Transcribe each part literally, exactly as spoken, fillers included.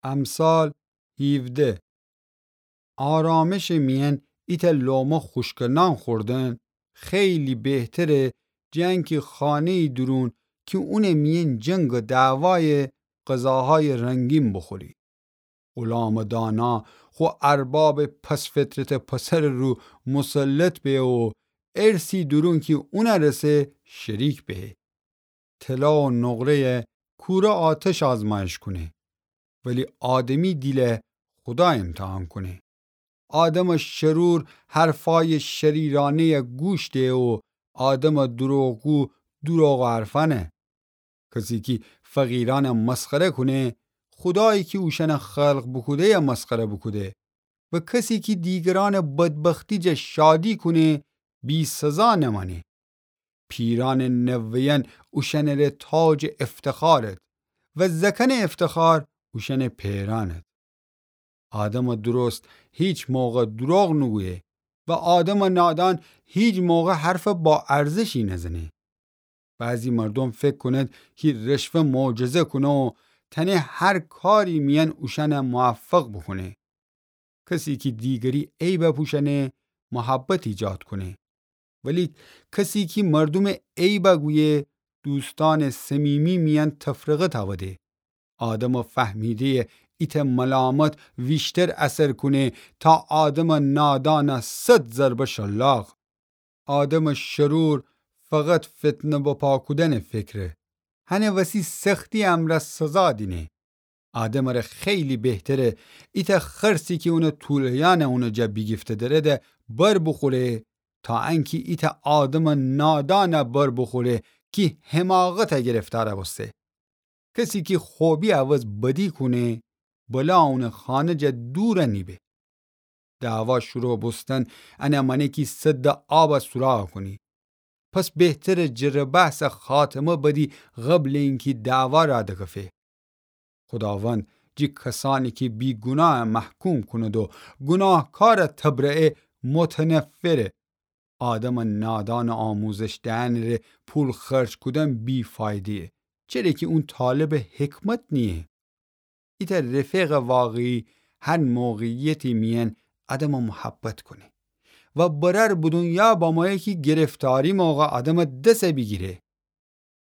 امثال هیوده. آرامشٚ میأن ایتأ لقمه خوشکٚ نان خوردن خیلی بهتره، جٚه انکی خانه‌یی دورون کی اونٚ میأن جنگ و دعوایه، غذاهایٚ رنگین بوخوری. غلامٚ دانا خو اربابٚ پست‌فطرتٚ پسرٚ رو مسلط به و ارثی دورون کی اونٚ رسه شریک به. طلا و نقره‌یه کوره آتش آزمایش کونه، ولی آدمی دیله خودا امتحان کونه. آدمٚ شرور حرفایٚ شریرانه‌یه گوش ده و آدمٚ دروغگو دروغٚ حرفأنه. کسی کی فقیرأنه مسخره کونه، خودایی کی اوشأنه خلق بوکوده‌یه مسخره بوکوده. و کسی کی دیگرأنٚ بدبختی جا شادی کونه، بی‌سزا نمأنه. پیرأنٚ نوه‌یأن اوشأنٚره تاجٚ افتخارد و زأکأنٚ افتخار اوشأنٚ پئرأند. آدمٚ درست هیچ موقع دروغ نوگویه و آدمٚ نادان هیچ موقع حرفٚ با ارزشی نزنه. بعضی مردوم فکر کونید کی رشوه معجزه کونه و تأنه هر کاری میأن اوشأنه موفق بوکونه. کسی کی دیگری عیب پوشأنه، محبت ایجاد کونه. ولی کسی کی مردومٚ عیب گویه، دوستأنٚ صمیمی میأن تفرقه تأوده. آدمٚ فهمیده‌یٚ ایتأ ملامت ویشتر اثر کونه تا آدمٚ نادانٚ صد ضربه شلاق. آدمٚ شرور فقط فتنه بپا کودنٚ فکره. هنٚ وسی سختی امرأ سزا دینه. آدمٚ ره خیلی بهتره ایتأ خرسی کی اونٚ توله‌یأنه اونٚ جا بیگیفته دره‌ده بر بوخوره، تا انکی ایتأ آدمٚ نادانه بر بوخوره کی حماقته گرفتار بوسته. کسی کی خوبی عوض بدی کونه، بلا اونٚ خانه جا دور نیبه. دعوا شروع بوستن انه مأنه کی سدٚ آبه سوراخ کونی. پس بهتره جرٚ بحثه خاتمه بدی قبلٚ اینکی دعوا راه دکفه. خوداوند جٚه کسأنی کی بی‌گوناه محکوم کونید و گوناهکاره تبرئه، متنفره. آدمٚ نادانٚ آموزش دئنٚ ره پول خرج کودن بی‌فایده‌یه، چره کی اون طالبٚ حکمت نییه. ایتأ رفیقٚ واقعی هر موقعیتی میأن آدمه محبت کونه و برأر به دونیا بمویه کی گرفتاری موقع آدمه دس بیگیره.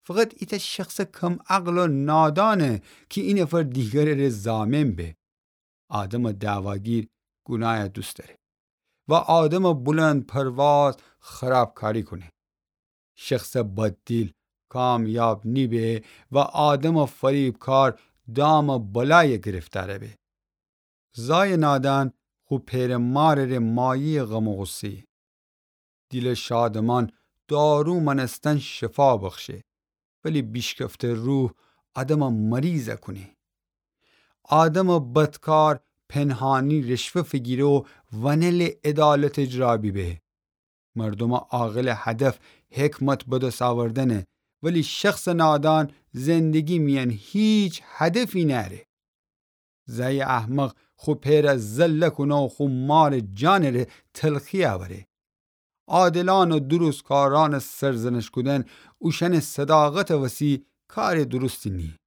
فقط ایتأ شخصٚ کم‌عقل و نادانه کی اینفر دیگرٚ ره ضامن به. آدمٚ دعواگیر گونایه دوست دأره و آدمٚ بلندپرواز خرابکاری کونه. شخصٚ بددیل کامیاب نیبه و آدمٚ فریبکار دامٚ بلایه گرفتار به. زایٚ نادان خو پئرٚ مارٚ ره مایه‌یٚ غم و غصه‌یه. دیلٚ شادمان دارو مأنستن شفا بخشه، ولی بیشکفته روح آدمه مریض کونه. آدمٚ بدکار پنهانی رشوه فیگیره و ونلٚ عدالت اجرا بیبه. مردومٚ عاقلٚ هدف حکمت به دس آوردنه، ولی شخصٚ نادان زندگی میأن هیچ هدفی نأره. زأی احمق خو پئره ذله کونه و خو مارٚ جانٚ ره تلخی اوره. عادلأن و درستکارأنٚ سرزنش کودن اوشأنٚ صداقتٚ وسی کارٚ درستی نییه.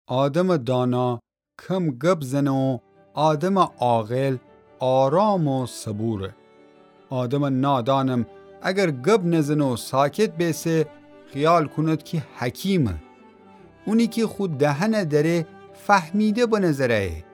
آدمٚ دانا کم گب زنه و آدمٚ عاقل آرام و صبوره. آدمٚ نادانم اگر گب نزنه و ساکت بیسه، خیال کونید کی حکیمه. اونی کی خو دهنه دأره فهمیده بنظره‌یه،